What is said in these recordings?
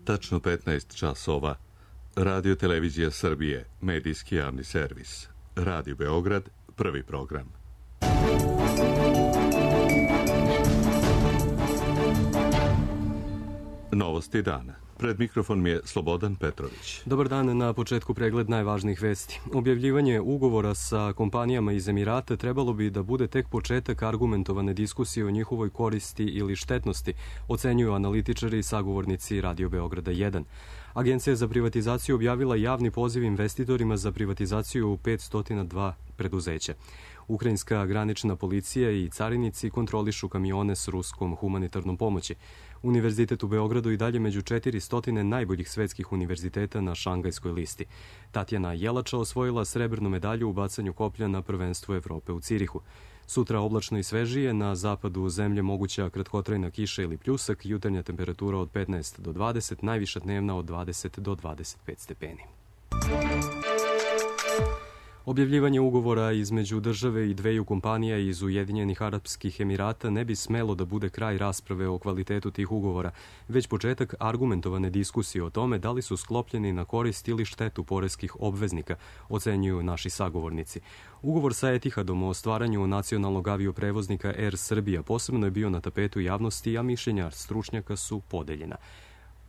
Tačno 15 časova. Radio Televizija Srbije, medijski javni servis. Radio Beograd, prvi program. Novosti dana. Pred mikrofon je Slobodan Petrović. Dobar dan, na početku pregled najvažnijih vesti. Objavljivanje ugovora sa kompanijama iz Emirata trebalo bi da bude tek početak argumentovane diskusije o njihovoj koristi ili štetnosti, ocenjuju analitičari i sagovornici Radio Beograda 1. Agencija za privatizaciju objavila javni poziv investitorima za privatizaciju 502 preduzeća. Ukrajinska granična policija i carinici kontrolišu kamione s ruskom humanitarnom pomoći. Univerzitet u Beogradu i dalje među 400 najboljih svetskih univerziteta na šangajskoj listi. Tatjana Jelača osvojila srebrnu medalju u bacanju koplja na prvenstvu Evrope u Cirihu. Sutra oblačno i svežije, na zapadu zemlje moguća kratkotrajna kiša ili pljusak, jutarnja temperatura od 15 do 20, najviša dnevna od 20 do 25 stepeni. Objavljivanje ugovora između države i dveju kompanija iz Ujedinjenih Arapskih Emirata ne bi smelo da bude kraj rasprave o kvalitetu tih ugovora, već početak argumentovane diskusije o tome da li su sklopljeni na korist ili štetu poreskih obveznika, ocenjuju naši sagovornici. Ugovor sa Etihadom o stvaranju nacionalnog avioprevoznika Air Srbija posebno je bio na tapetu javnosti, a mišljenja stručnjaka su podeljena.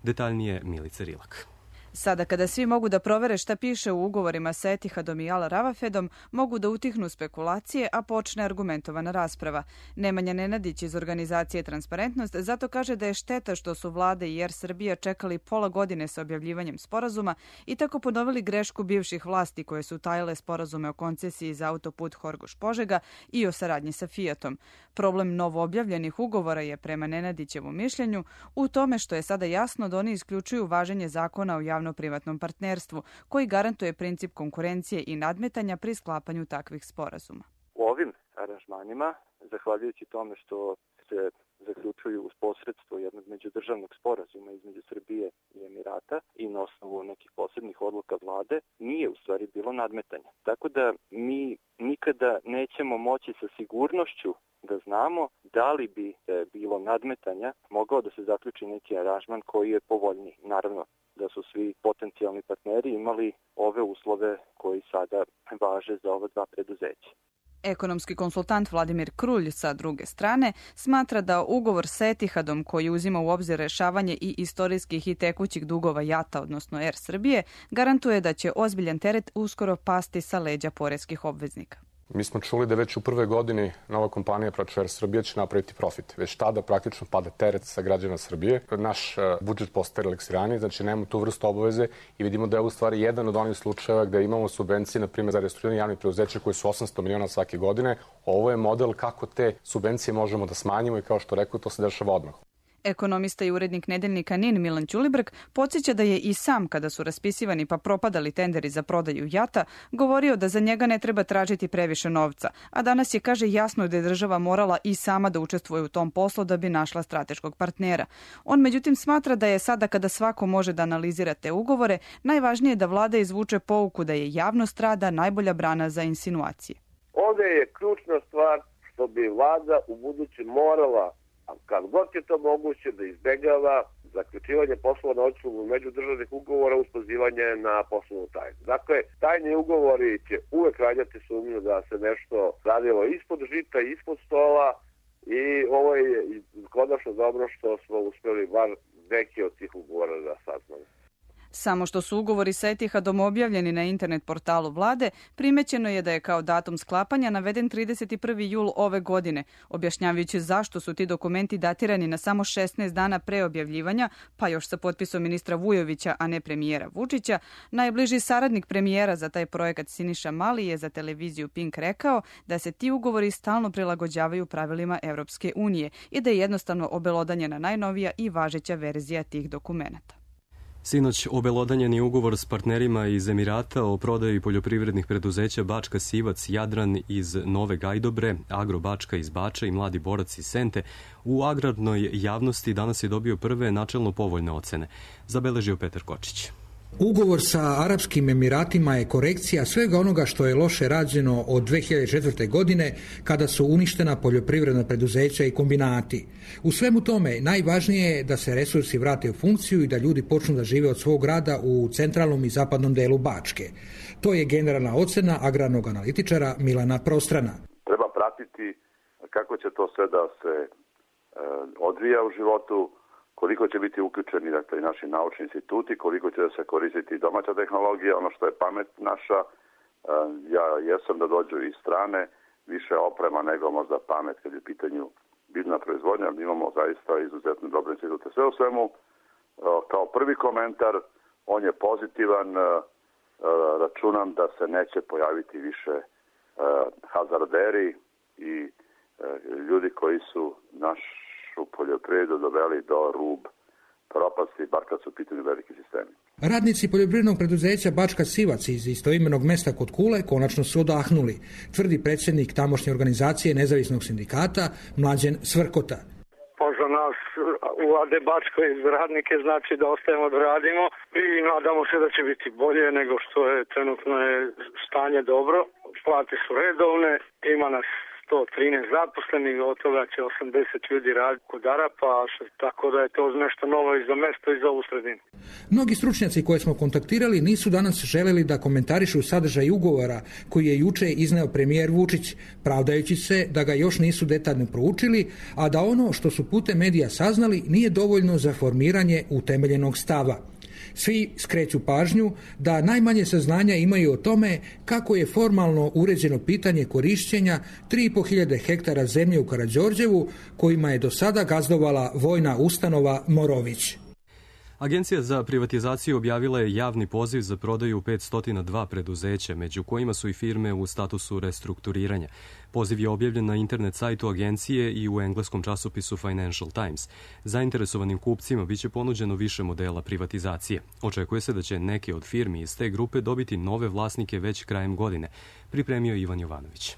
Detaljnije Milica Rilak. Sada kada svi mogu da provere šta piše u ugovorima sa Etihadom i Al Ravafedom, mogu da utihnu spekulacije, a počne argumentovana rasprava. Nemanja Nenadić iz organizacije Transparentnost zato kaže da je šteta što su vlade i Air Srbija čekali pola godine sa objavljivanjem sporazuma i tako ponovili grešku bivših vlasti koje su tajile sporazume o koncesiji za autoput Horgoš-Požega i o saradnji sa Fiatom. Problem novo objavljenih ugovora je, prema Nenadićevom mišljenju, u tome što je sada jasno da oni isključuju važenje zakona o javno-privatnom partnerstvu, koji garantuje princip konkurencije i nadmetanja pri sklapanju takvih sporazuma. U ovim aranžmanima, zahvaljujući tome što se zaključuju uz posredstvo jednog međudržavnog sporazuma između Srbije i Emirata i na osnovu nekih posebnih odluka vlade, nije u stvari bilo nadmetanja. Tako da mi nikada nećemo moći sa sigurnošću da znamo da li bi bilo nadmetanja mogao da se zaključi neki aranžman koji je povoljniji. Naravno da su svi potencijalni partneri imali ove uslove koji sada važe za ova dva preduzeća. Ekonomski konsultant Vladimir Krulj sa druge strane smatra da ugovor sa Etihadom, koji uzima u obzir rešavanje i istorijskih i tekućih dugova JAT-a, odnosno Air Srbije, garantuje da će ozbiljan teret uskoro pasti sa leđa poreskih obveznika. Mi smo čuli da već u prvoj godini nova kompanija Air Srbija će napraviti profit. Već tada praktično pada teret sa građana Srbije. Naš budžet postaje relaksiraniji, znači nemamo tu vrstu obaveze i vidimo da je u stvari jedan od onih slučajeva gde imamo subvencije, na primjer za restrukturiranje javnih preduzeća koji su 800 miliona svake godine. Ovo je model kako te subvencije možemo da smanjimo i kao što rekao, to se dešava odmah. Ekonomista i urednik nedeljnika NIN Milan Ćulibrk podsjeća da je i sam, kada su raspisivani pa propadali tenderi za prodaju JAT-a, govorio da za njega ne treba tražiti previše novca, a danas je, kaže, jasno da je država morala i sama da učestvuje u tom poslu da bi našla strateškog partnera. On međutim smatra da je sada, kada svako može da analizira te ugovore, najvažnije da vlada izvuče pouku da je javnost rada najbolja brana za insinuacije. Ovde je ključna stvar što bi vlada u buduće morala, kad god je to moguće, da izbegava zaključivanje poslova na osnovu međudržavnih ugovora uz pozivanje na poslovnu tajnu. Dakle, tajni ugovori će uvek rađati sumnju da se nešto radilo ispod žita, ispod stola i ovo je konačno dobro što smo uspeli bar neke od tih ugovora da saznamo. Samo što su ugovori sa Etihadom objavljeni na internet portalu vlade, primećeno je da je kao datum sklapanja naveden 31. jul ove godine, objašnjavajući zašto su ti dokumenti datirani na samo 16 dana pre objavljivanja, pa još sa potpisom ministra Vujovića, a ne premijera Vučića. Najbliži saradnik premijera za taj projekat Siniša Mali je za televiziju Pink rekao da se ti ugovori stalno prilagođavaju pravilima Evropske unije i da je jednostavno obelodanjena najnovija i važeća verzija tih dokumenata. Sinoć obelodanjen je ugovor s partnerima iz Emirata o prodaji poljoprivrednih preduzeća Bačka Sivac, Jadran iz Nove Gajdobre, Agro Bačka iz Bača i Mladi borac iz Sente. U agrarnoj javnosti danas je dobio prve načelno povoljne ocene, zabeležio Petar Kočić. Ugovor sa Arapskim Emiratima je korekcija svega onoga što je loše rađeno od 2004. godine kada su uništena poljoprivredna preduzeća i kombinati. U svemu tome najvažnije je da se resursi vrate u funkciju i da ljudi počnu da žive od svog rada u centralnom i zapadnom delu Bačke. To je generalna ocena agrarnog analitičara Milana Prostrana. Treba pratiti kako će to sve da se odvija u životu, koliko će biti uključeni dakle, i naši naučni instituti, koliko će da se koristiti domaća tehnologija, ono što je pamet naša. Ja jesam da dođu iz strane, više oprema nego možda pamet kad je u pitanju biljna proizvodnja. Imamo zaista izuzetno dobre institute. Sve u svemu, kao prvi komentar, on je pozitivan. Računam da se neće pojaviti više hazarderi i ljudi koji su našu poljoprivredu doveli do rub propasti, bar kad su u pitanju veliki sistemi. Radnici poljoprivrednog preduzeća Bačka Sivac iz istoimenog mesta kod Kule konačno su odahnuli, tvrdi predsjednik tamošnje organizacije nezavisnog sindikata Mlađen Svrkota. Pa za nas u AD Bačkoj radnike znači da ostajemo da radimo i nadamo se da će biti bolje nego što je trenutno je stanje dobro. Plate su redovne, ima nas 113 zaposlenih, od toga će 80 ljudi raditi kod Arapa, tako da je to nešto novo i za mesto i za ovu sredinu. Mnogi stručnjaci koje smo kontaktirali nisu danas želeli da komentarišu sadržaj ugovora koji je juče izneo premijer Vučić, pravdajući se da ga još nisu detaljno proučili, a da ono što su putem medija saznali nije dovoljno za formiranje utemeljenog stava. Svi skreću pažnju da najmanje saznanja imaju o tome kako je formalno uređeno pitanje korišćenja 3.500 hektara zemlje u Karađorđevu kojima je do sada gazdovala vojna ustanova Morović. Agencija za privatizaciju objavila je javni poziv za prodaju 502 preduzeća, među kojima su i firme u statusu restrukturiranja. Poziv je objavljen na internet sajtu agencije i u engleskom časopisu Financial Times. Zainteresovanim kupcima biće ponuđeno više modela privatizacije. Očekuje se da će neke od firmi iz te grupe dobiti nove vlasnike već krajem godine, pripremio Ivan Jovanović.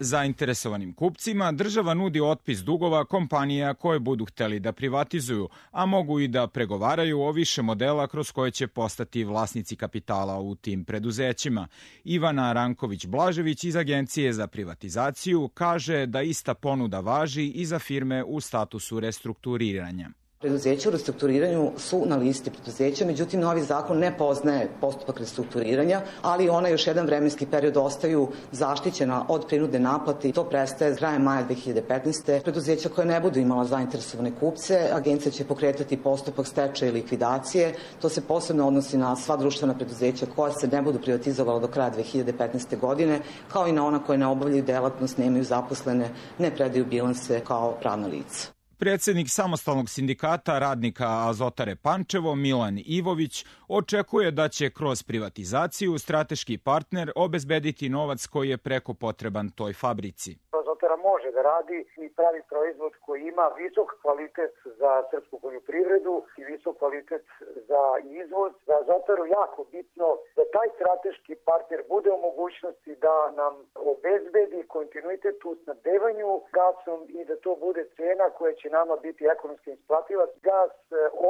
Zainteresovanim kupcima država nudi otpis dugova kompanija koje budu hteli da privatizuju, a mogu i da pregovaraju o više modela kroz koje će postati vlasnici kapitala u tim preduzećima. Ivana Ranković-Blažević iz Agencije za privatizaciju kaže da ista ponuda važi i za firme u statusu restrukturiranja. Preduzeća u restrukturiranju su na listi preduzeća, međutim novi zakon ne poznaje postupak restrukturiranja, ali ona još jedan vremenski period ostaju zaštićena od prinudne naplate i to prestaje krajem maja 2015. Preduzeća koje ne budu imala zainteresovane kupce, agencija će pokretati postupak stečaja i likvidacije. To se posebno odnosi na sva društvena preduzeća koja se ne budu privatizovala do kraja 2015. godine, kao i na ona koje ne obavljaju delatnost, nemaju zaposlene, ne predaju bilanse kao pravna lica. Predsednik samostalnog sindikata radnika Azotare Pančevo, Milan Ivović, očekuje da će kroz privatizaciju strateški partner obezbediti novac koji je preko potreban toj fabrici. Azotara može da radi i pravi proizvod koji ima visok kvalitet za srpsku poljoprivredu i visok kvalitet za izvoz. Za Azotaru jako bitno da taj strateški partner bude u mogućnosti da nam obezbedi kontinuitet u snabdevanju gasom i da to bude cena koja će nama biti ekonomski isplativa. Gas,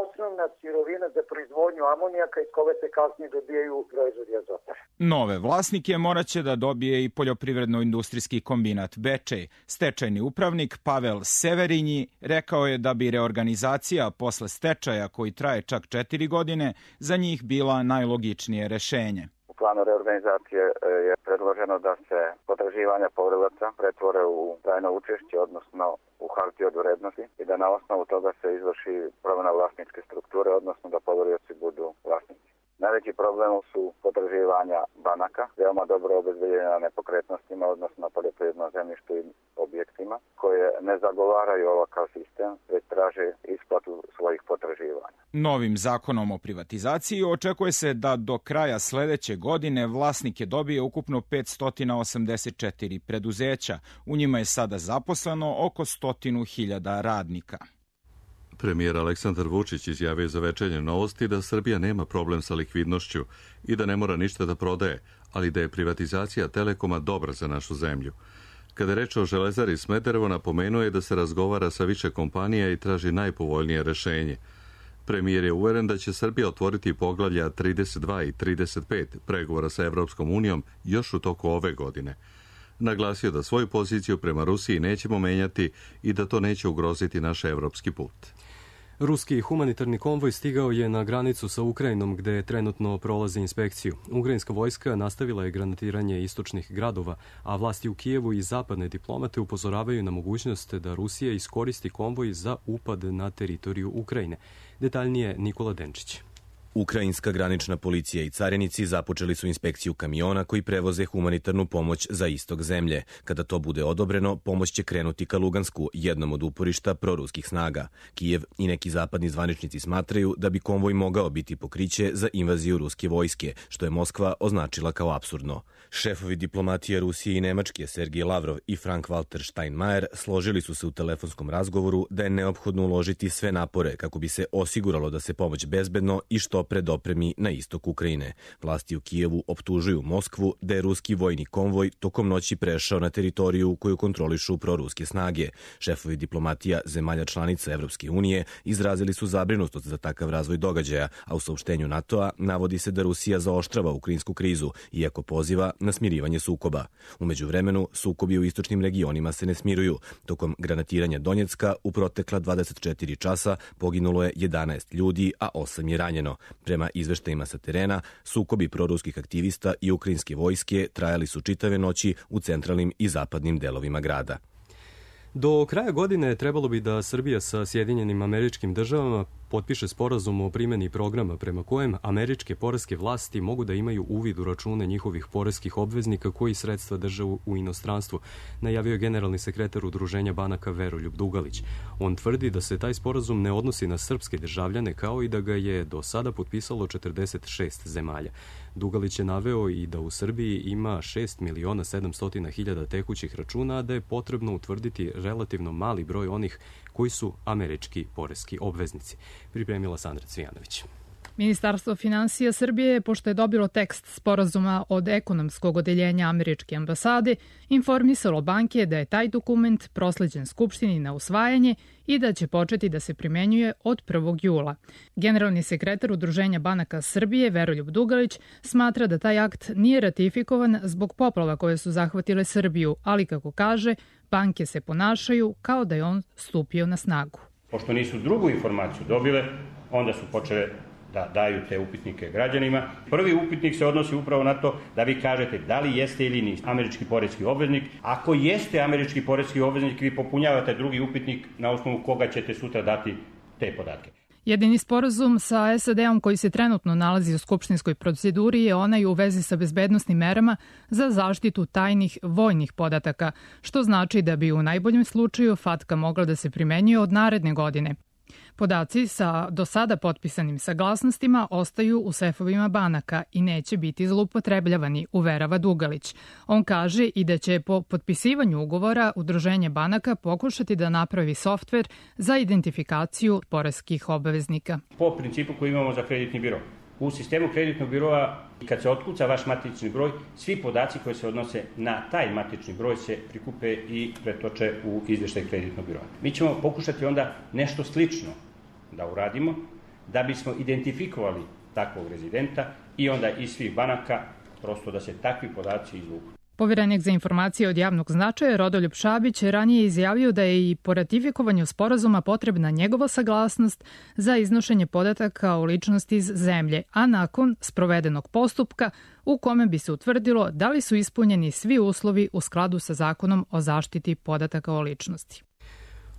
osnovna sirovina za proizvodnju amonijaka iz koga se kasnije dobijaju proizvodi Azotara. Nove vlasnike moraće da dobije i poljoprivredno-industrijski kombinat Bečej. Stečajni upravnik Pavel Severinji rekao je da bi reorganizacija posle stečaja koji traje čak 4 godine za njih bila najlogičnije rešenje. U planu reorganizacije je predloženo da se potraživanja poverilaca pretvore u trajno učešće, odnosno u hartije od vrednosti i da na osnovu toga se izvrši promena vlasničke strukture, odnosno da poverilci budu vlasnici. Najveći problem su potraživanja banaka, veoma dobro obezbeđenja na nepokretnostima, odnosno na poljoprivrednom zemljištu i objektima, koje ne zagovaraju ovakav sistem, već traže isplatu svojih potraživanja. Novim zakonom o privatizaciji očekuje se da do kraja sledeće godine vlasnike dobije ukupno 584 preduzeća. U njima je sada zaposleno oko 100.000 radnika. Premijer Aleksandar Vučić izjavio za Večernje novosti da Srbija nema problem sa likvidnošću i da ne mora ništa da prodaje, ali da je privatizacija Telekoma dobra za našu zemlju. Kada je reč o Železari Smederevo, napomenuo je da se razgovara sa više kompanija i traži najpovoljnije rešenje. Premijer je uveren da će Srbija otvoriti poglavlja 32 i 35 pregovora sa Evropskom unijom još u toku ove godine. Naglasio da svoju poziciju prema Rusiji nećemo menjati i da to neće ugroziti naš evropski put. Ruski humanitarni konvoj stigao je na granicu sa Ukrajinom gde trenutno prolazi inspekciju. Ukrajinska vojska nastavila je granatiranje istočnih gradova, a vlasti u Kijevu i zapadne diplomate upozoravaju na mogućnost da Rusija iskoristi konvoj za upad na teritoriju Ukrajine. Detaljnije Nikola Denčić. Ukrajinska granična policija i carinici započeli su inspekciju kamiona koji prevoze humanitarnu pomoć za istok zemlje. Kada to bude odobreno, pomoć će krenuti ka Lugansku, jednom od uporišta proruskih snaga. Kijev i neki zapadni zvaničnici smatraju da bi konvoj mogao biti pokriće za invaziju ruske vojske, što je Moskva označila kao apsurdno. Šefovi diplomatije Rusije i Nemačke Sergej Lavrov i Frank-Walter Steinmeier složili su se u telefonskom razgovoru da je neophodno uložiti sve napore kako bi se osiguralo da se pomoć bezbedno i što pre dopremi na istok Ukrajine. Vlasti u Kijevu optužuju Moskvu da je ruski vojni konvoj tokom noći prešao na teritoriju koju kontrolišu proruske snage. Šefovi diplomatija zemalja članica Evropske unije izrazili su zabrinutost za takav razvoj događaja, a u saopštenju NATO-a navodi se da Rusija zaoštrava ukrajinsku krizu, iako poziva na smirivanje sukoba. U međuvremenu, sukobi u istočnim regionima se ne smiruju. Tokom granatiranja Donjecka u protekla 24 časa poginulo je 11 ljudi, a 8 je ranjeno. Prema izveštajima sa terena, sukobi proruskih aktivista i ukrajinske vojske trajali su čitave noći u centralnim i zapadnim delovima grada. Do kraja godine trebalo bi da Srbija sa Sjedinjenim Američkim Državama potpiše sporazum o primjeni programa prema kojem američke poreske vlasti mogu da imaju uvid u račune njihovih poreskih obveznika koji sredstva drže u inostranstvu, najavio je generalni sekretar Udruženja banaka Veroljub Dugalić. On tvrdi da se taj sporazum ne odnosi na srpske državljane, kao i da ga je do sada potpisalo 46 zemalja. Dugalić je naveo i da u Srbiji ima 6.700.000 tekućih računa, a da je potrebno utvrditi relativno mali broj onih koji su američki poreski obveznici. Pripremila Sandra Cvijanović. Ministarstvo finansija Srbije, pošto je dobilo tekst sporazuma od ekonomskog odeljenja američke ambasade, informisalo banke da je taj dokument prosleđen Skupštini na usvajanje i da će početi da se primenjuje od 1. jula. Generalni sekretar Udruženja banaka Srbije, Veroljub Dugalić, smatra da taj akt nije ratifikovan zbog poplava koje su zahvatile Srbiju, ali kako kaže, banke se ponašaju kao da je on stupio na snagu. Pošto nisu drugu informaciju dobile, onda su počele da daju te upitnike građanima. Prvi upitnik se odnosi upravo na to da vi kažete da li jeste ili niste američki poreski obveznik. Ako jeste američki poreski obveznik, vi popunjavate drugi upitnik na osnovu koga ćete sutra dati te podatke. Jedini sporazum sa SAD-om koji se trenutno nalazi u skupštinskoj proceduri je onaj u vezi sa bezbednosnim merama za zaštitu tajnih vojnih podataka, što znači da bi u najboljem slučaju FATCA mogla da se primenjuje od naredne godine. Podaci sa do sada potpisanim saglasnostima ostaju u sefovima banaka i neće biti zloupotrebljavani, uverava Dugalić. On kaže i da će po potpisivanju ugovora Udruženje banaka pokušati da napravi softver za identifikaciju poreskih obveznika. Po principu koji imamo za kreditni biro. U sistemu kreditnog biroa, kad se otkuca vaš matični broj, svi podaci koji se odnose na taj matični broj se prikupe i pretoče u izveštaj kreditnog biroa. Mi ćemo pokušati onda nešto slično da uradimo, da bismo identifikovali takvog rezidenta i onda iz svih banaka prosto da se takvi podaci izvuku. Poverenik za informacije od javnog značaja Rodoljub Šabić ranije izjavio da je i po ratifikovanju sporazuma potrebna njegova saglasnost za iznošenje podataka o ličnosti iz zemlje, a nakon sprovedenog postupka u kome bi se utvrdilo da li su ispunjeni svi uslovi u skladu sa zakonom o zaštiti podataka o ličnosti.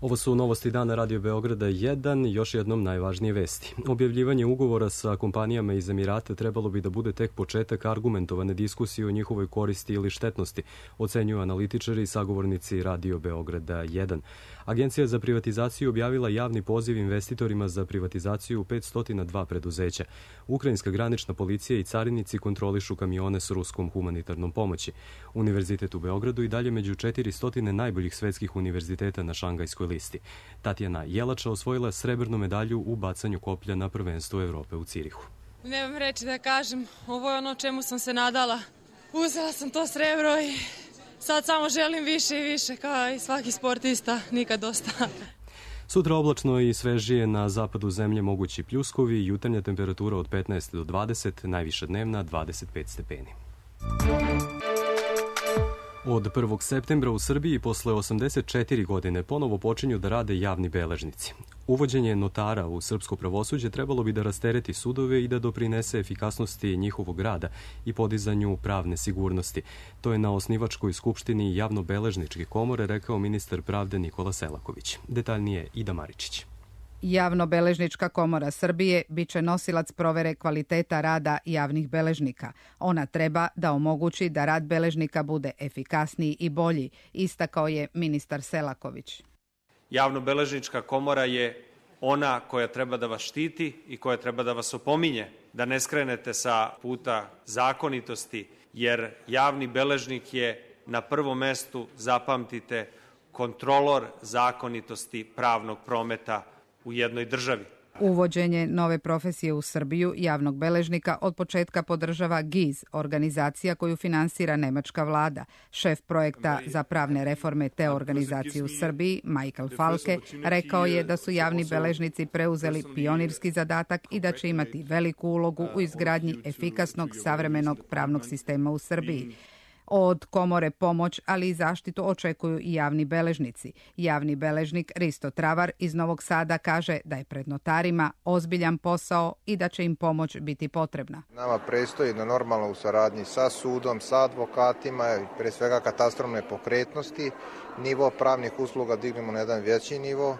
Ovo su novosti dana Radio Beograda 1, još jednom najvažnije vesti. Objavljivanje ugovora sa kompanijama iz Emirata trebalo bi da bude tek početak argumentovane diskusije o njihovoj koristi ili štetnosti, ocenjuju analitičari i sagovornici Radio Beograda 1. Agencija za privatizaciju objavila javni poziv investitorima za privatizaciju 502 preduzeća. Ukrajinska granična policija i carinici kontrolišu kamione s ruskom humanitarnom pomoći. Univerzitet u Beogradu i dalje među 400 najboljih svetskih univerziteta na Šangajskoj listi. Tatjana Jelača osvojila srebrnu medalju u bacanju koplja na prvenstvu Evrope u Cirihu. Nemam reći da kažem, ovo je ono čemu sam se nadala. Uzela sam to srebro i sad samo želim više i više, kao i svaki sportista, nikad dosta. Sutra oblačno i svežije, na zapadu zemlje mogući pljuskovi, jutarnja temperatura od 15 do 20, najviša dnevna 25 stepeni. Od 1. septembra u Srbiji posle 84 godine ponovo počinju da rade javni beležnici. Uvođenje notara u srpsko pravosuđe trebalo bi da rastereti sudove i da doprinese efikasnosti njihovog rada i podizanju pravne sigurnosti. To je na osnivačkoj skupštini Javnobeležničke komore rekao ministar pravde Nikola Selaković. Detaljnije Ida Maričić. Javnobeležnička komora Srbije biće nosilac provere kvaliteta rada javnih beležnika. Ona treba da omogući da rad beležnika bude efikasniji i bolji, istakao je ministar Selaković. Javnobeležnička komora je ona koja treba da vas štiti i koja treba da vas opominje, da ne skrenete sa puta zakonitosti, jer javni beležnik je na prvom mestu, zapamtite, kontrolor zakonitosti pravnog prometa u jednoj državi. Uvođenje nove profesije u Srbiju javnog beležnika od početka podržava GIZ, organizacija koju finansira nemačka vlada. Šef projekta za pravne reforme te organizacije u Srbiji, Michael Falke, rekao je da su javni beležnici preuzeli pionirski zadatak i da će imati veliku ulogu u izgradnji efikasnog savremenog pravnog sistema u Srbiji. Od komore pomoć, ali i zaštitu očekuju i javni beležnici. Javni beležnik Risto Travar iz Novog Sada kaže da je pred notarima ozbiljan posao i da će im pomoć biti potrebna. Nama predstoji da normalno u saradnji sa sudom, sa advokatima, pre svega katastrom nepokretnosti, nivo pravnih usluga dignemo na jedan veći nivo,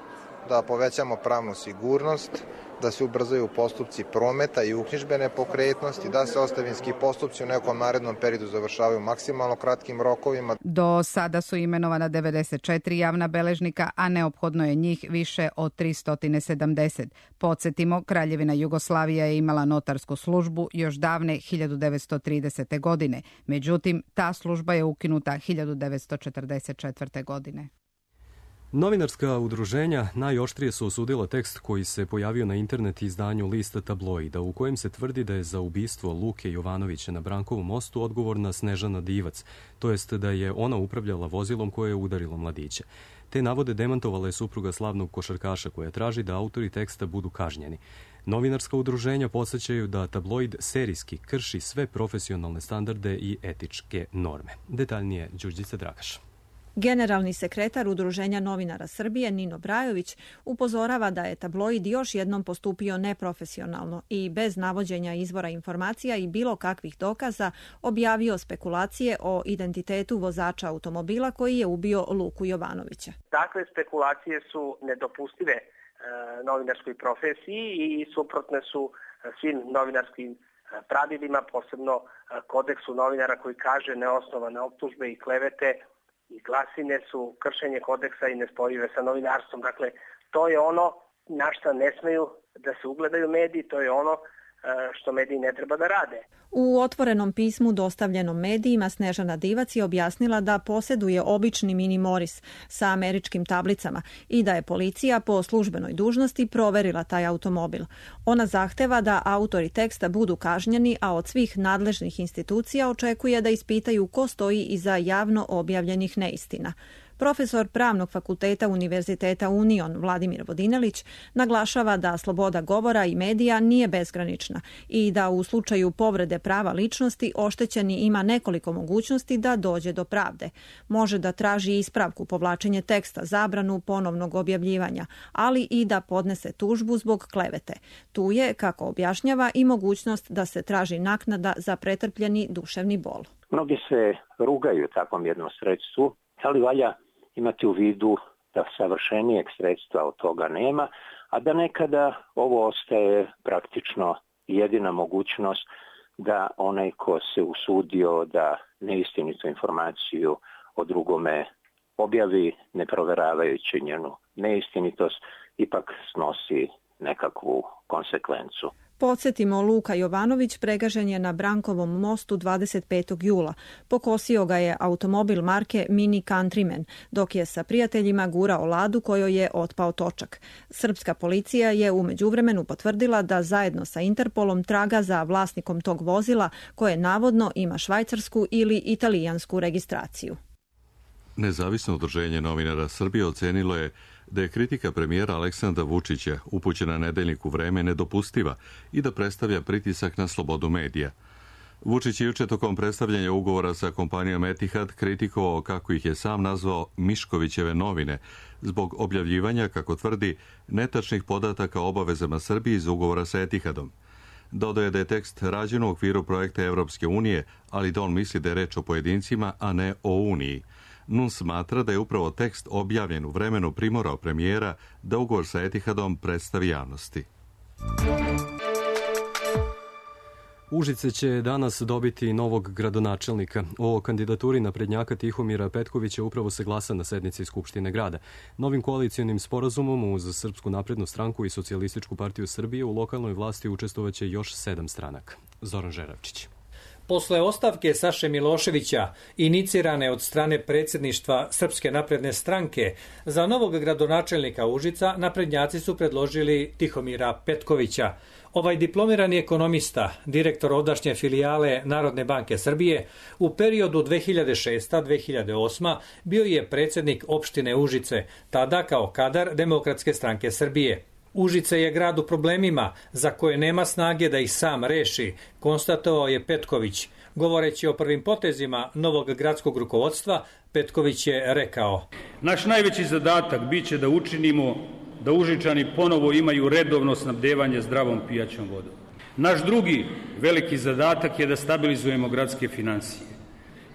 da povećamo pravnu sigurnost, da se ubrzaju postupci prometa i uknjižbe nepokretnosti, da se ostavinski postupci u nekom narednom periodu završavaju maksimalno kratkim rokovima. Do sada su imenovana 94 javna beležnika, a neophodno je njih više od 370. Podsjetimo, Kraljevina Jugoslavija je imala notarsku službu još davne 1930. godine. Međutim, ta služba je ukinuta 1944. godine. Novinarska udruženja najoštrije su osudila tekst koji se pojavio na internet izdanju lista Tabloida, u kojem se tvrdi da je za ubistvo Luke Jovanovića na Brankovom mostu odgovorna Snežana Divac, to jest da je ona upravljala vozilom koje je udarilo mladiće. Te navode demantovala je supruga slavnog košarkaša koja traži da autori teksta budu kažnjeni. Novinarska udruženja podsjećaju da Tabloid serijski krši sve profesionalne standarde i etičke norme. Detaljnije Đurđica Dragaš. Generalni sekretar Udruženja novinara Srbije Nino Brajović upozorava da je Tabloid još jednom postupio neprofesionalno i bez navođenja izvora informacija i bilo kakvih dokaza objavio spekulacije o identitetu vozača automobila koji je ubio Luku Jovanovića. Takve spekulacije su nedopustive novinarskoj profesiji i suprotne su svim novinarskim pravilima, posebno kodeksu novinara koji kaže neosnovane optužbe i klevete i glasine su kršenje kodeksa i nespojive sa novinarstvom. Dakle, to je ono na šta ne smeju da se ugledaju mediji, to je ono što mediji ne treba da rade. U otvorenom pismu dostavljenom medijima Snežana Divac je objasnila da posjeduje obični Mini Morris sa američkim tablicama i da je policija po službenoj dužnosti proverila taj automobil. Ona zahteva da autori teksta budu kažnjeni, a od svih nadležnih institucija očekuje da ispitaju ko stoji iza javno objavljenih neistina. Profesor Pravnog fakulteta Univerziteta Union Vladimir Vodinelić naglašava da sloboda govora i medija nije bezgranična i da u slučaju povrede prava ličnosti oštećeni ima nekoliko mogućnosti da dođe do pravde. Može da traži ispravku, povlačenje teksta, zabranu ponovnog objavljivanja, ali i da podnese tužbu zbog klevete. Tu je, kako objašnjava, i mogućnost da se traži naknada za pretrpljeni duševni bol. Mnogi se rugaju takvom jednom sredstvu, ali valja imati u vidu da savršenijeg sredstva od toga nema, a da nekada ovo ostaje praktično jedina mogućnost da onaj ko se usudio da neistinitu informaciju o drugome objavi, ne proveravajući njenu neistinitost, ipak snosi nekakvu konsekvencu. Podsjetimo, Luka Jovanović pregažen je na Brankovom mostu 25. jula. Pokosio ga je automobil marke Mini Countryman, dok je sa prijateljima gurao ladu kojoj je otpao točak. Srpska policija je u međuvremenu potvrdila da zajedno sa Interpolom traga za vlasnikom tog vozila koje navodno ima švajcarsku ili italijansku registraciju. Nezavisno udruženje novinara Srbije ocenilo je da je kritika premijera Aleksandra Vučića upućena nedeljniku Vreme nedopustiva i da predstavlja pritisak na slobodu medija. Vučić je juče tokom predstavljanja ugovora sa kompanijom Etihad kritikovao, kako ih je sam nazvao, Miškovićeve novine, zbog objavljivanja, kako tvrdi, netačnih podataka o obavezama Srbije iz ugovora sa Etihadom. Dodao je da je tekst rađen u okviru projekta Evropske unije, ali da on misli da je reč o pojedincima, a ne o Uniji. NUN smatra da je upravo tekst objavljen u vremenu primorao premijera da ugovor sa Etihadom predstavi javnosti. Užice će danas dobiti novog gradonačelnika. O kandidaturi naprednjaka Tihomira Petkovića upravo se glasa na sednici Skupštine grada. Novim koalicijonim sporazumom uz Srpsku naprednu stranku i Socijalističku partiju Srbije u lokalnoj vlasti učestvovaće još 7 stranaka. Zoran Žeravčić. Posle ostavke Saše Miloševića, inicirane od strane predsjedništva Srpske napredne stranke, za novog gradonačelnika Užica naprednjaci su predložili Tihomira Petkovića. Ovaj diplomirani ekonomista, direktor ovdašnje filijale Narodne banke Srbije, u periodu 2006-2008 bio je predsjednik opštine Užice, tada kao kadar Demokratske stranke Srbije. Užice je grad u problemima za koje nema snage da ih sam reši, konstatovao je Petković. Govoreći o prvim potezima novog gradskog rukovodstva, Petković je rekao: Naš najveći zadatak biće da učinimo da Užičani ponovo imaju redovno snabdevanje zdravom pijaćom vodom. Naš drugi veliki zadatak je da stabilizujemo gradske finansije.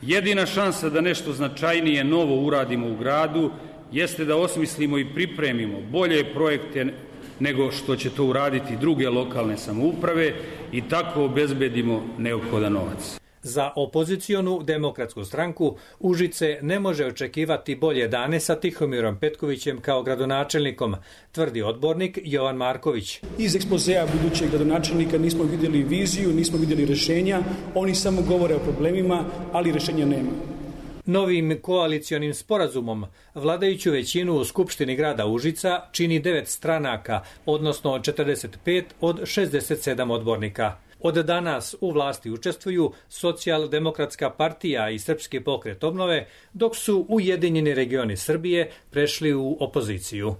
Jedina šansa da nešto značajnije novo uradimo u gradu jeste da osmislimo i pripremimo bolje projekte nego što će to uraditi druge lokalne samouprave i tako obezbedimo neophodan novac. Za opozicionu Demokratsku stranku Užice ne može očekivati bolje dane sa Tihomirom Petkovićem kao gradonačelnikom, tvrdi odbornik Jovan Marković. Iz ekspozea budućeg gradonačelnika nismo vidjeli viziju, nismo vidjeli rešenja, oni samo govore o problemima, ali rešenja nema. Novim koalicionim sporazumom vladajuću većinu u Skupštini grada Užica čini 9 stranaka, odnosno 45 od 67 odbornika. Od danas u vlasti učestvuju Socijaldemokratska partija i Srpski pokret obnove, dok su Ujedinjeni regioni Srbije prešli u opoziciju.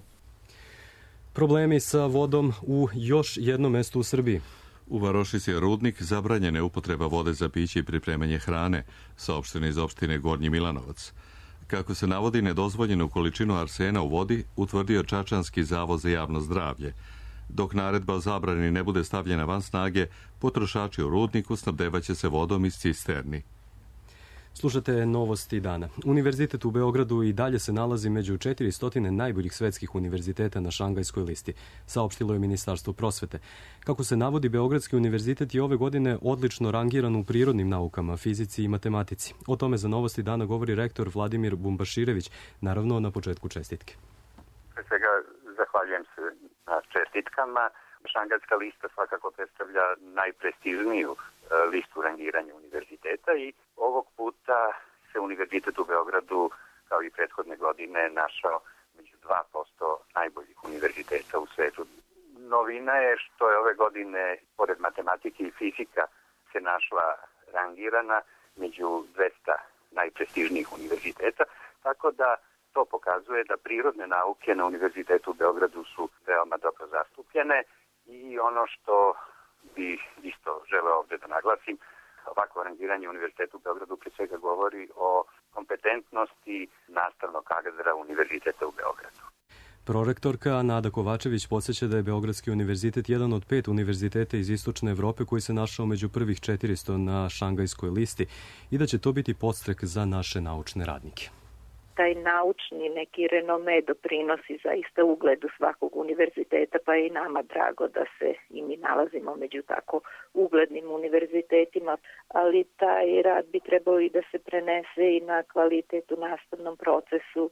Problemi sa vodom u još jednom mestu u Srbiji. U Varošici je rudnik, zabranjena je upotreba vode za piće i pripremanje hrane, saopšteno iz opštine Gornji Milanovac. Kako se navodi nedozvoljenu količinu arsena u vodi, utvrdio Čačanski zavod za javno zdravlje. Dok naredba o zabrani ne bude stavljena van snage, potrošači u rudniku snabdevaće se vodom iz cisterni. Slušate novosti dana. Univerzitet u Beogradu i dalje se nalazi među 400 najboljih svetskih univerziteta na Šangajskoj listi, saopštilo je Ministarstvo prosvete. Kako se navodi, Beogradski univerzitet je ove godine odlično rangiran u prirodnim naukama, fizici i matematici. O tome za novosti dana govori rektor Vladimir Bumbaširević, naravno na početku čestitke. Pre svega zahvaljujem se na čestitkama. Šangajska lista svakako predstavlja najprestižniju listu rangiranja univerziteta i ovog puta se univerzitet u Beogradu, kao i prethodne godine, našao među 2% najboljih univerziteta u svetu. Novina je što je ove godine, pored matematike i fizika, se našla rangirana među 200 najprestižnijih univerziteta, tako da to pokazuje da prirodne nauke na univerzitetu u Beogradu su veoma dobro zastupljene. I ono što bi isto želeo ovde da naglasim, ovako rangiranje univerziteta u Beogradu pre svega govori o kompetentnosti nastavnog kadra univerziteta u Beogradu. Prorektorka Nada Kovačević podsjeća da je Beogradski univerzitet jedan od 5 univerziteta iz Istočne Evrope koji se našao među prvih 400 na Šangajskoj listi i da će to biti podstrek za naše naučne radnike. Taj naučni neki renome doprinosi zaista ugledu svakog univerziteta, pa je i nama drago da se i mi nalazimo među tako uglednim univerzitetima, ali taj rad bi trebao i da se prenese i na kvalitet u nastavnom procesu,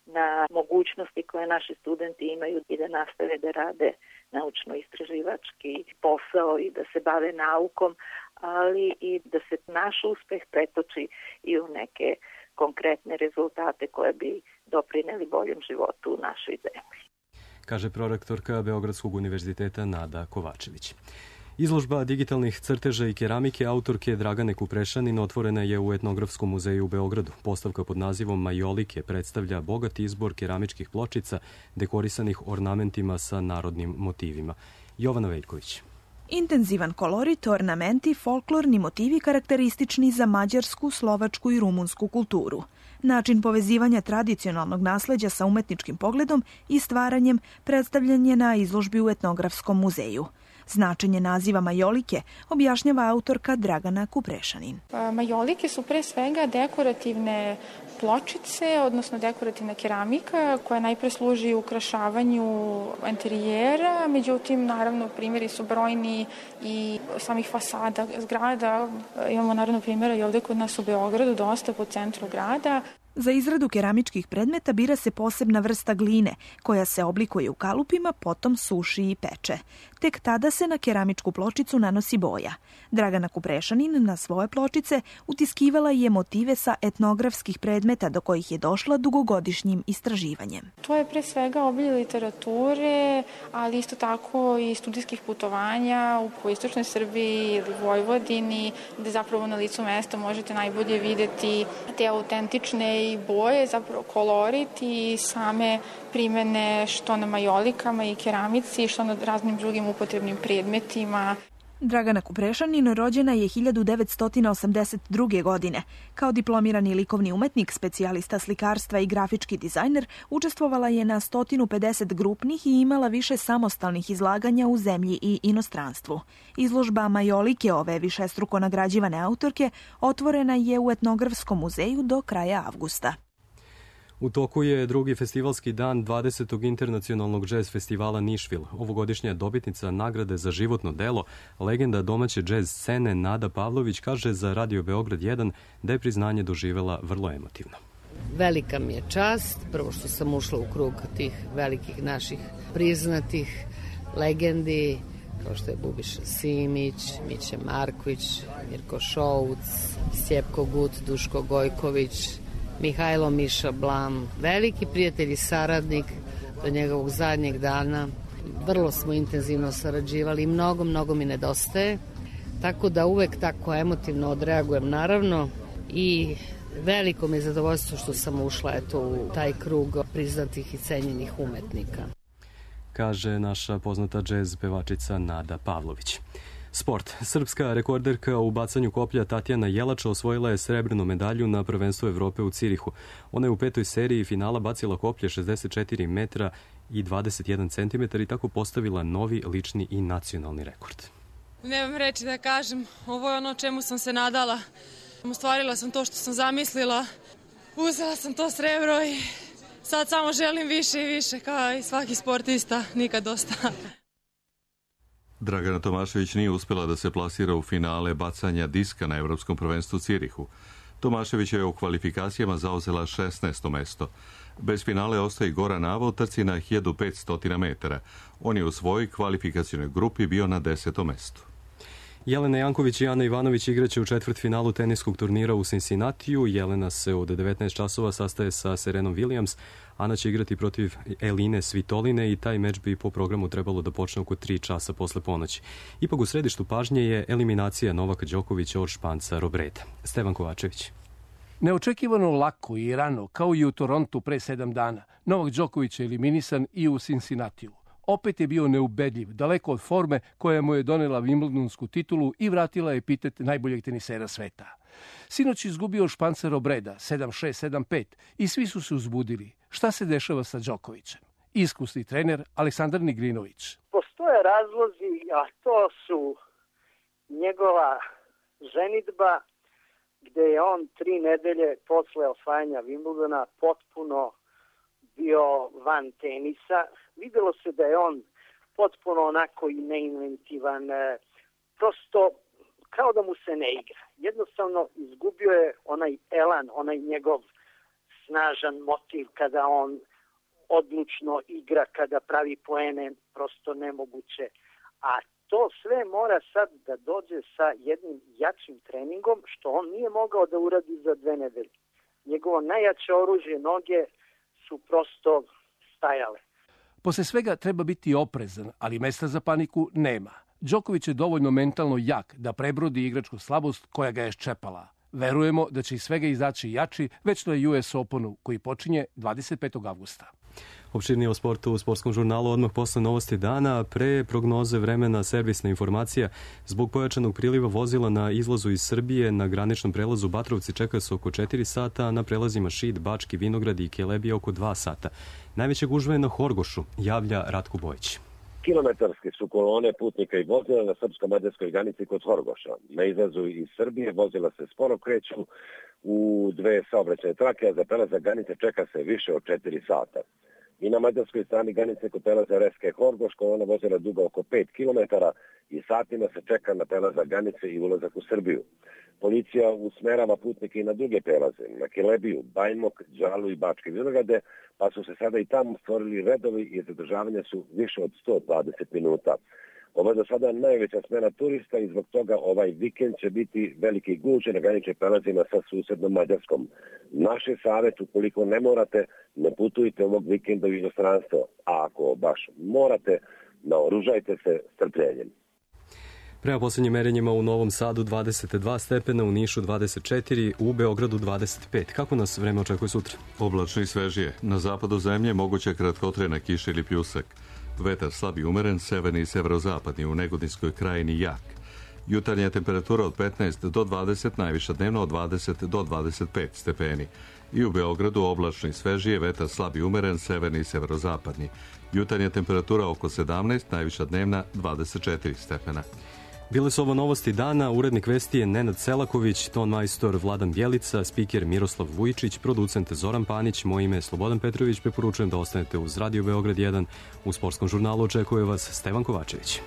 na mogućnosti koje naši studenti imaju i da nastave da rade naučno-istraživački posao i da se bave naukom, ali i da se naš uspeh pretoči i u neke konkretne rezultate koje bi doprineli boljem životu u našoj zemlji. Kaže prorektorka Beogradskog univerziteta Nada Kovačević. Izložba digitalnih crteža i keramike autorke Dragane Kuprešanin otvorena je u Etnografskom muzeju u Beogradu. Postavka pod nazivom Majolike predstavlja bogat izbor keramičkih pločica dekorisanih ornamentima sa narodnim motivima. Jovana Veljković. Intenzivan kolorit, ornamenti, folklorni motivi karakteristični za mađarsku, slovačku i rumunsku kulturu. Način povezivanja tradicionalnog nasleđa sa umetničkim pogledom i stvaranjem predstavljen je na izložbi u Etnografskom muzeju. Značenje naziva majolike objašnjava autorka Dragana Kuprešanin. Majolike su pre svega dekorativne pločice, odnosno dekorativna keramika koja najpre služi ukrašavanju interijera, međutim, naravno, primjeri su brojni i samih fasada zgrada. Imamo naravno primjera i ovde kod nas u Beogradu, dosta po centru grada. Za izradu keramičkih predmeta bira se posebna vrsta gline, koja se oblikuje u kalupima, potom suši i peče. Tek tada se na keramičku pločicu nanosi boja. Dragana Kuprešanin na svoje pločice utiskivala je motive sa etnografskih predmeta do kojih je došla dugogodišnjim istraživanjem. To je pre svega obilje literature, ali isto tako i studijskih putovanja u istočnoj Srbiji ili Vojvodini, gde zapravo na licu mesta možete najbolje videti te autentične i boje, zapravo kolorit i same primene što na majolikama i keramici, što na raznim drugim upotrebnim predmetima. Dragana Kuprešanin rođena je 1982. godine. Kao diplomirani likovni umetnik, specijalista slikarstva i grafički dizajner, učestvovala je na 150 grupnih i imala više samostalnih izlaganja u zemlji i inostranstvu. Izložba Majolike ove višestruko nagrađivane autorke otvorena je u Etnografskom muzeju do kraja avgusta. U toku je drugi festivalski dan 20. internacionalnog džez festivala Nišvil. Ovogodišnja dobitnica nagrade za životno delo, legenda domaće džez scene Nada Pavlović, kaže za Radio Beograd 1 da je priznanje doživela vrlo emotivno. Velika mi je čast, prvo što sam ušla u krug tih velikih naših priznatih legendi, kao što je Bubiša Simić, Miće Marković, Mirko Šouc, Stjepko Gut, Duško Gojković, Mihajlo Miša Blam, veliki prijatelj i saradnik do njegovog zadnjeg dana. Vrlo smo intenzivno sarađivali i mnogo mi nedostaje, tako da uvek tako emotivno odreagujem naravno i veliko mi je zadovoljstvo što sam ušla u taj krug priznatih i cenjenih umetnika. Kaže naša poznata džez pevačica Nada Pavlović. Sport. Srpska rekorderka u bacanju koplja Tatjana Jelača osvojila je srebrnu medalju na prvenstvu Evrope u Cirihu. Ona je u 5. seriji finala bacila koplje 64 metra i 21 centimetar i tako postavila novi lični i nacionalni rekord. Nemam reći da kažem, ovo je ono čemu sam se nadala. Ostvarila sam to što sam zamislila, uzela sam to srebro i sad samo želim više i više, kao i svaki sportista, nikad dosta. Dragana Tomašević nije uspela da se plasira u finale bacanja diska na Evropskom prvenstvu Cirihu. Tomašević je u kvalifikacijama zauzela 16. mesto. Bez finale ostaje Goran Ava u trci na 1500 metara. On je u svojoj kvalifikacijnoj grupi bio na 10. mestu. Jelena Janković i Ana Ivanović igraće u četvrtfinalu teniskog turnira u Cincinnatiju. Jelena se od 19 časova sastaje sa Serenom Williams. Ana će igrati protiv Eline Svitoline i taj meč bi po programu trebalo da počne oko 3 časa posle ponoći. Ipak u središtu pažnje je eliminacija Novaka Đokovića od Španca Robreda. Stevan Kovačević. Neočekivano lako i rano, kao i u Torontu pre 7 dana, Novak Đoković je eliminisan i u Cincinnatiju. Opet je bio neubedljiv, daleko od forme koja mu je donela Wimbledonsku titulu i vratila epitet najboljeg tenisera sveta. Sinoć izgubio Španca Robreda 7-6, 7-5 i svi su se uzbudili. Šta se dešava sa Đokovićem? Iskusni trener Aleksandar Nigrinović. Postoje razlozi, a to su njegova ženidba, gde je on 3 nedelje posle osvajanja Wimbledona potpuno bio van tenisa. Videlo se da je on potpuno onako i neinventivan, prosto kao da mu se ne igra. Jednostavno izgubio je onaj elan, onaj njegov snažan motiv kada on odlučno igra, kada pravi poene, prosto nemoguće. A to sve mora sad da dođe sa jednim jačim treningom, što on nije mogao da uradi za 2 nedelje. Njegovo najjače oružje, noge, su prosto stajale. Posle svega treba biti oprezan, ali mesta za paniku nema. Đoković je dovoljno mentalno jak da prebrodi igračku slabost koja ga je ščepala. Verujemo da će iz svega izaći jači već na US Openu koji počinje 25. avgusta. Opširnije o sportu u Sportskom žurnalu odmah posle novosti dana. Pre prognoze vremena servisna informacija. Zbog pojačanog priliva vozila na izlazu iz Srbije na graničnom prelazu Batrovci čeka se oko 4 sata, a na prelazima Šid, Bački, Vinograd i Kelebija oko 2 sata. Najveća gužva je na Horgošu, javlja Ratko Bojić. Kilometarske su kolone putnika i vozila na srpsko-mađarskoj granici kod Horgoša. Na izlazu iz Srbije vozila se sporo kreću u 2 saobraćajne trake, a za prelazak granice čeka se više od 4 sata. I na mađarskoj strani granice kod prelaza Reske Horgoš kolona vozila duga oko 5 km i satima se čeka na prelazak granice i ulazak u Srbiju. Policija usmerava putnike i na druge prelaze, na Kelebiju, Bajmok, Đalu i Bačke Vinograde, pa su se sada i tamo stvorili redovi i zadržavanja su više od 120 minuta. Ovo je do sada najveća smena turista i zbog toga ovaj vikend će biti veliki gužve na graničnim prelazima sa susednom Mađarskom. Naš je savjet, ukoliko ne morate, ne putujte ovog vikenda u inostranstvo, a ako baš morate, naoružajte se strpljenjem. Prema poslednjim merenjima u Novom Sadu 22 stepena, u Nišu 24, u Beogradu 25. Kako nas vreme očekuje sutra? Oblačno i svežije. Na zapadu zemlje moguća kratkotrajna kiša ili pljusak. Vetar slab i umeren, severni i severozapadni, u Negodinskoj krajini jak. Jutarnja temperatura od 15 do 20, najviša dnevno od 20 do 25 stepeni. I u Beogradu oblačno i svežije, vetar slab i umeren, severni i severozapadni. Jutarnja temperatura oko 17, najviša dnevna 24 stepena. Bile su ovo novosti dana, urednik vesti je Nenad Selaković, ton majstor Vladan Bjelica, spiker Miroslav Vujičić, producent Zoran Panić, moje ime je Slobodan Petrović, preporučujem da ostanete uz Radio Beograd 1. U Sportskom žurnalu očekuje vas Stevan Kovačević.